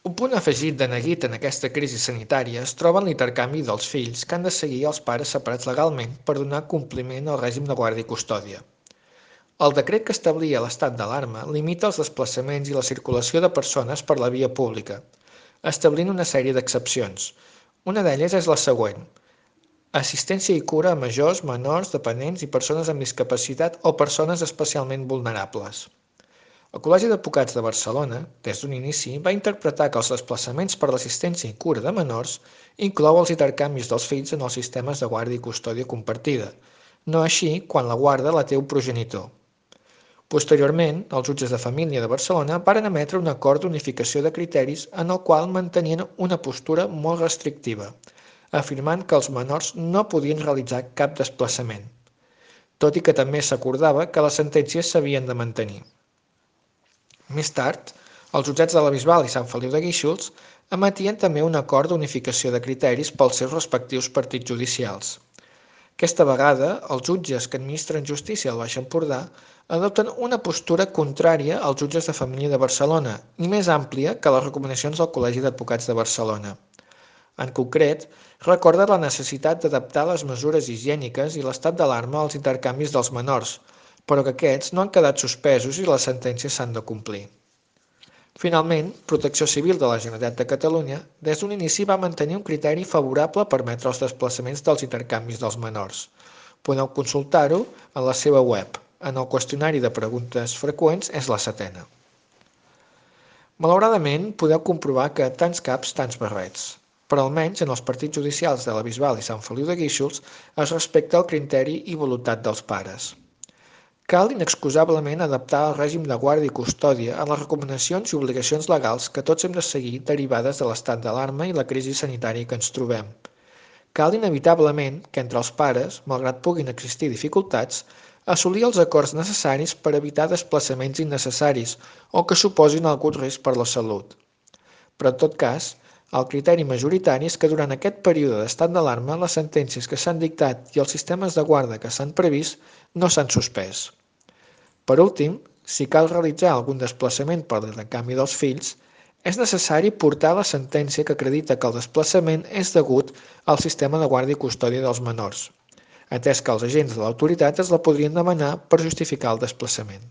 Un punt afegit de neguit en aquesta crisi sanitària es troba en l'intercanvi dels fills que han de seguir els pares separats legalment per donar compliment al règim de guàrdia i custòdia. El decret que establia l'estat d'alarma limita els desplaçaments i la circulació de persones per la via pública, establint una sèrie d'excepcions. Una d'elles és la següent: assistència i cura a majors, menors, dependents i persones amb discapacitat o persones especialment vulnerables. El Col·legi d'Advocats de Barcelona, des d'un inici, va interpretar que els desplaçaments per l'assistència i cura de menors inclou els intercanvis dels fills en els sistemes de guàrdia i custòdia compartida, no així quan la guarda la té un progenitor. Posteriorment, els jutges de família de Barcelona varen emetre un acord d'unificació de criteris en el qual mantenien una postura molt restrictiva, afirmant que els menors no podien realitzar cap desplaçament, tot i que també s'acordava que les sentències s'havien de mantenir. Més tard, els jutjats de la Bisbal i Sant Feliu de Guíxols emetien també un acord d'unificació de criteris pels seus respectius partits judicials. Aquesta vegada, els jutges que administren justícia al Baix Empordà adopten una postura contrària als jutges de família de Barcelona i més àmplia que les recomanacions del Col·legi d'Advocats de Barcelona. En concret, recorda la necessitat d'adaptar les mesures higièniques i l'estat d'alarma als intercanvis dels menors, però que aquests no han quedat suspesos i les sentències s'han de complir. Finalment, Protecció Civil de la Generalitat de Catalunya des d'un inici va mantenir un criteri favorable a permetre els desplaçaments dels intercanvis dels menors. Podeu consultar-ho en la seva web. En el qüestionari de preguntes freqüents és la 7a. Malauradament, podeu comprovar que tants caps, tants barrets. Però almenys en els partits judicials de la Bisbal i Sant Feliu de Guíxols es respecta el criteri i voluntat dels pares. Cal inexcusablement adaptar el règim de guàrdia i custòdia a les recomanacions i obligacions legals que tots hem de seguir derivades de l'estat d'alarma i la crisi sanitària que ens trobem. Cal inevitablement que entre els pares, malgrat puguin existir dificultats, assolir els acords necessaris per evitar desplaçaments innecessaris o que suposin algun risc per la salut. Però en tot cas, el criteri majoritari és que durant aquest període d'estat d'alarma les sentències que s'han dictat i els sistemes de guarda que s'han previst no s'han suspès. Per últim, si cal realitzar algun desplaçament per l'intercanvi dels fills, és necessari portar la sentència que acredita que el desplaçament és degut al sistema de guàrdia i custòdia dels menors, atès que els agents de l'autoritat es la podrien demanar per justificar el desplaçament.